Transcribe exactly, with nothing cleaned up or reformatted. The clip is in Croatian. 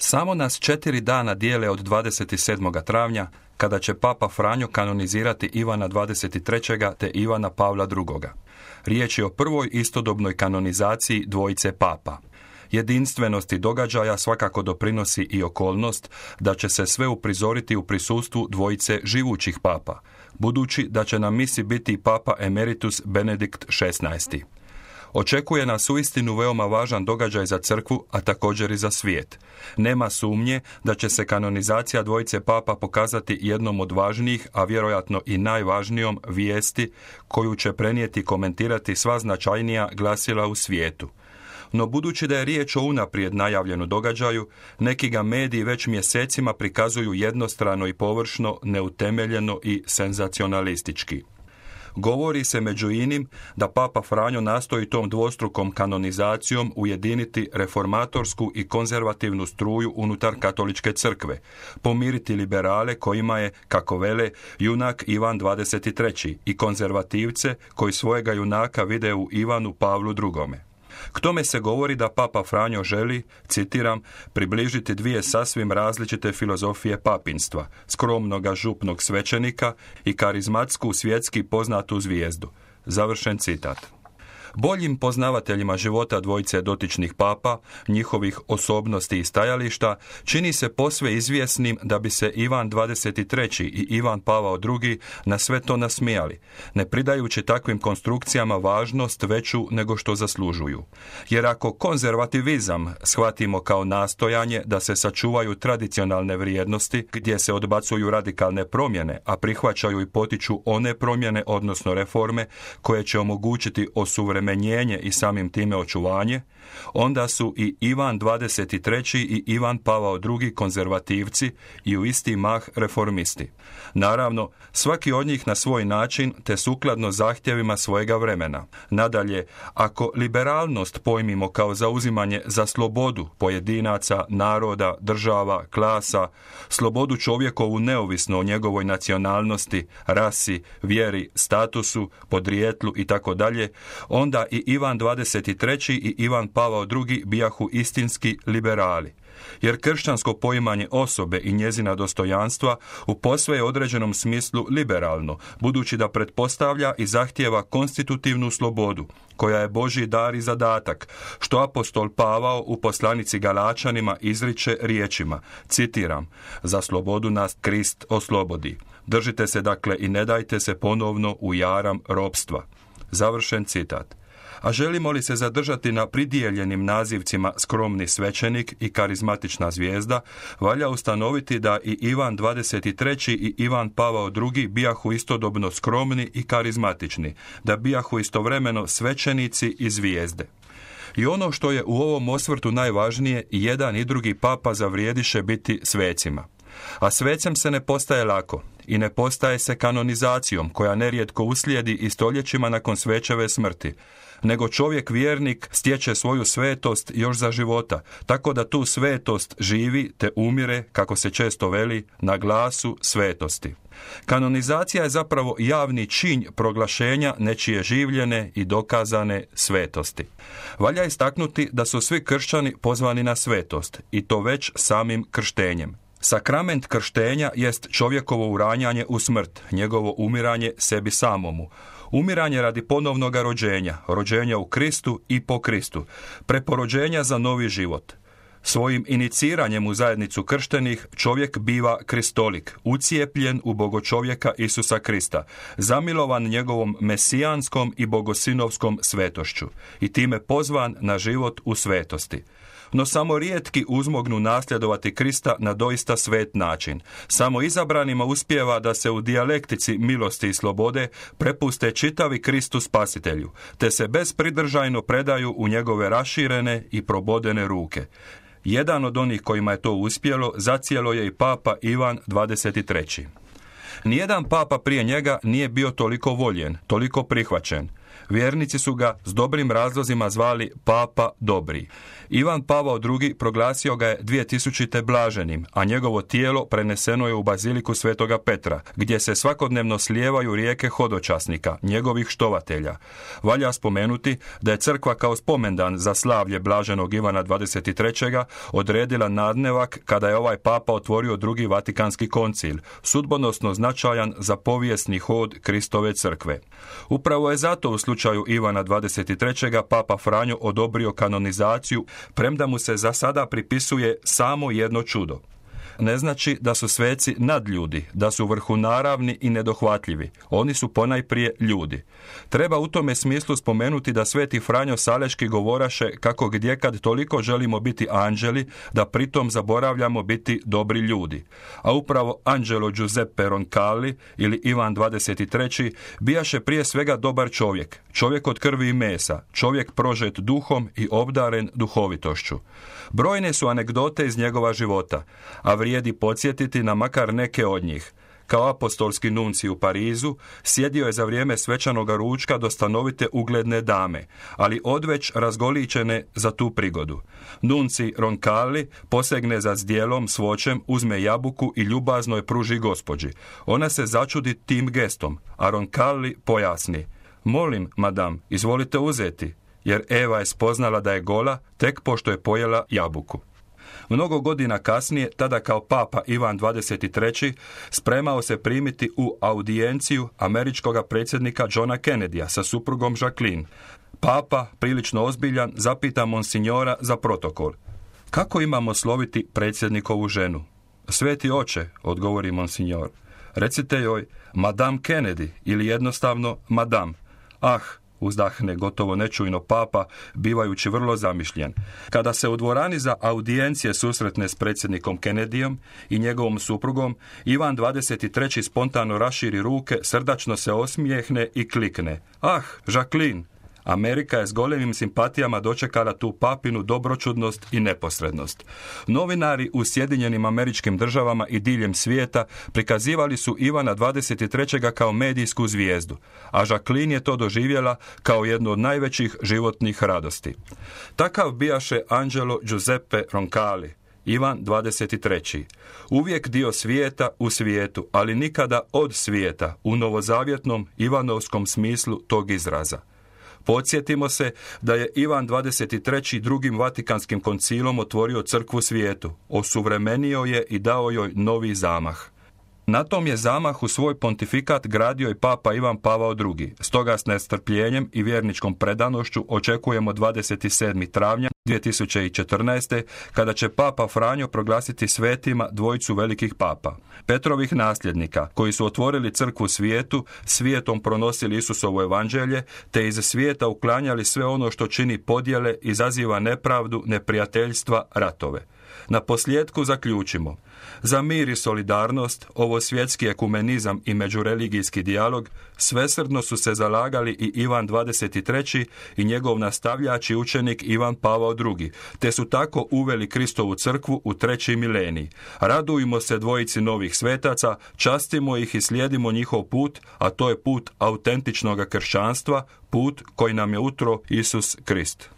Samo nas četiri dana dijele od dvadeset sedmog travnja, kada će Papa Franjo kanonizirati Ivana dvadeset trećeg te Ivana Pavla drugoga. Riječ je o prvoj istodobnoj kanonizaciji dvojice papa. Jedinstvenosti događaja svakako doprinosi i okolnost da će se sve uprizoriti u prisustvu dvojice živućih papa, budući da će na misi biti Papa Emeritus Benedikt šesnaesti. Očekuje nas uistinu veoma važan događaj za crkvu, a također i za svijet. Nema sumnje da će se kanonizacija dvojice papa pokazati jednom od važnijih, a vjerojatno i najvažnijom vijesti koju će prenijeti i komentirati sva značajnija glasila u svijetu. No budući da je riječ o unaprijed najavljenu događaju, neki ga mediji već mjesecima prikazuju jednostrano i površno, neutemeljeno i senzacionalistički. Govori se među inim da Papa Franjo nastoji tom dvostrukom kanonizacijom ujediniti reformatorsku i konzervativnu struju unutar katoličke crkve, pomiriti liberale kojima je, kako vele, junak Ivan dvadeset treći i konzervativce koji svojega junaka vide u Ivanu Pavlu drugome. K tome se govori da Papa Franjo želi, citiram, približiti dvije sasvim različite filozofije papinstva, skromnoga župnog svećenika i karizmatsku svjetski poznatu zvijezdu. Završen citat. Boljim poznavateljima života dvojice dotičnih papa, njihovih osobnosti i stajališta, čini se posve izvjesnim da bi se Ivan dvadeset treći i Ivan Pavao drugi na sve to nasmijali, ne pridajući takvim konstrukcijama važnost veću nego što zaslužuju. Jer ako konzervativizam shvatimo kao nastojanje da se sačuvaju tradicionalne vrijednosti, gdje se odbacuju radikalne promjene, a prihvaćaju i potiču one promjene, odnosno reforme, koje će omogućiti osuvremenjenje menjenje i samim time očuvanje, onda su i Ivan dvadeset treći i Ivan Pavao drugi konzervativci i u isti mah reformisti. Naravno, svaki od njih na svoj način te sukladno zahtjevima svojega vremena. Nadalje, ako liberalnost pojmimo kao zauzimanje za slobodu pojedinaca, naroda, država, klasa, slobodu čovjekovu neovisno o njegovoj nacionalnosti, rasi, vjeri, statusu, podrijetlu i tako dalje, onda i Ivan dvadeset treći i Ivan Pavao drugi bijahu istinski liberali. Jer kršćansko poimanje osobe i njezina dostojanstva u posve je određenom smislu liberalno, budući da pretpostavlja i zahtijeva konstitutivnu slobodu, koja je Božji dar i zadatak, što apostol Pavao u poslanici Galačanima izriče riječima, citiram, za slobodu nas Krist oslobodi. Držite se dakle i ne dajte se ponovno u jaram ropstva. Završen citat. A želimo li se zadržati na pridijeljenim nazivcima skromni svećenik i karizmatična zvijezda, valja ustanoviti da i Ivan dvadeset treći i Ivan Pavao drugi bijahu istodobno skromni i karizmatični, da bijahu istovremeno svećenici i zvijezde. I ono što je u ovom osvrtu najvažnije, jedan i drugi papa zavrijediše biti svecima. A svecem se ne postaje lako i ne postaje se kanonizacijom koja nerijetko uslijedi i stoljećima nakon svećeve smrti, nego čovjek vjernik stječe svoju svetost još za života, tako da tu svetost živi te umire, kako se često veli, na glasu svetosti. Kanonizacija je zapravo javni čin proglašenja nečije življene i dokazane svetosti. Valja istaknuti da su svi kršćani pozvani na svetost, i to već samim krštenjem. Sakrament krštenja jest čovjekovo uranjanje u smrt, njegovo umiranje sebi samomu. Umiranje radi ponovnoga rođenja, rođenja u Kristu i po Kristu, preporođenja za novi život. Svojim iniciranjem u zajednicu krštenih čovjek biva kristolik, ucijepljen u bogočovjeka Isusa Krista, zamilovan njegovom mesijanskom i bogosinovskom svetošću i time pozvan na život u svetosti. No samo rijetki uzmognu nasljedovati Krista na doista svet način. Samo izabranima uspijeva da se u dijalektici milosti i slobode prepuste čitavi Kristu Spasitelju, te se bezpridržajno predaju u njegove raširene i probodene ruke. Jedan od onih kojima je to uspjelo zacijelo je i papa Ivan dvadeset treći. Nijedan papa prije njega nije bio toliko voljen, toliko prihvaćen. Vjernici su ga s dobrim razlozima zvali Papa Dobri. Ivan Pavao drugi proglasio ga je dvije tisućite blaženim, a njegovo tijelo preneseno je u baziliku Svetoga Petra, gdje se svakodnevno slijevaju rijeke hodočasnika, njegovih štovatelja. Valja spomenuti da je crkva kao spomendan za slavlje blaženog Ivana dvadeset trećeg odredila nadnevak kada je ovaj papa otvorio drugi Vatikanski koncil, sudbonosno značajan za povijesni hod Kristove crkve. Upravo je zato u slučaju Ivana dvadeset trećeg papa Franjo odobrio kanonizaciju, premda mu se za sada pripisuje samo jedno čudo. Ne znači da su sveci nadljudi, da su vrhunaravni i nedohvatljivi. Oni su ponajprije ljudi. Treba u tome smislu spomenuti da sveti Franjo Saleški govoraše kako gdjekad toliko želimo biti anđeli, da pritom zaboravljamo biti dobri ljudi. A upravo Angelo Giuseppe Roncalli ili Ivan dvadeset treći bijaše prije svega dobar čovjek, čovjek od krvi i mesa, čovjek prožet duhom i obdaren duhovitošću. Brojne su anegdote iz njegova života, a vrijedi podsjetiti na makar neke od njih. Kao apostolski nunci u Parizu, sjedio je za vrijeme svečanoga ručka do stanovite ugledne dame, ali odveć razgoličene za tu prigodu. Nunci Roncalli posegne za zdjelom s voćem, uzme jabuku i ljubazno je pruži gospođi. Ona se začudi tim gestom, a Roncalli pojasni: "Molim, madam, izvolite uzeti", jer Eva je spoznala da je gola tek pošto je pojela jabuku. Mnogo godina kasnije, tada kao papa Ivan dvadeset treći spremao se primiti u audijenciju američkog predsjednika Johna Kennedya sa suprugom Jacqueline. Papa, prilično ozbiljan, zapita monsignora za protokol: "Kako imamo sloviti predsjednikovu ženu?" "Sveti oče", odgovori monsignor, "recite joj Madame Kennedy ili jednostavno Madame." "Ah", uzdahne gotovo nečujno papa, bivajući vrlo zamišljen. Kada se u dvorani za audijencije susretne s predsjednikom Kennedyjem i njegovom suprugom, Ivan dvadeset treći spontano raširi ruke, srdačno se osmijehne i klikne: "Ah, Jacqueline!" Amerika je s golemim simpatijama dočekala tu papinu dobročudnost i neposrednost. Novinari u Sjedinjenim Američkim Državama i diljem svijeta prikazivali su Ivana dvadeset trećeg kao medijsku zvijezdu, a Jacqueline je to doživjela kao jednu od najvećih životnih radosti. Takav bijaše Angelo Giuseppe Roncalli, Ivan dvadeset treći. Uvijek dio svijeta u svijetu, ali nikada od svijeta u novozavjetnom ivanovskom smislu tog izraza. Podsjetimo se da je Ivan dvadeset treći drugim Vatikanskim koncilom otvorio crkvu svijetu, osuvremenio je i dao joj novi zamah. Na tom je zamahu svoj pontifikat gradio i papa Ivan Pavao drugi. Stoga s nestrpljenjem i vjerničkom predanošću očekujemo dvadeset sedmog travnja dvije tisuće četrnaeste. kada će papa Franjo proglasiti svetima dvojicu velikih papa, Petrovih nasljednika, koji su otvorili crkvu svijetu, svijetom pronosili Isusovo evanđelje, te iz svijeta uklanjali sve ono što čini podjele, izaziva nepravdu, neprijateljstva, ratove. Na posljedku zaključimo: za mir i solidarnost, ovo svjetski ekumenizam i međureligijski dijalog svesrdno su se zalagali i Ivan dvadeset treći i njegov nastavljač i učenik Ivan Pavao drugi, te su tako uveli Kristovu crkvu u treći milenij. Radujmo se dvojici novih svetaca, častimo ih i slijedimo njihov put, a to je put autentičnog kršćanstva, put koji nam je utro Isus Krist.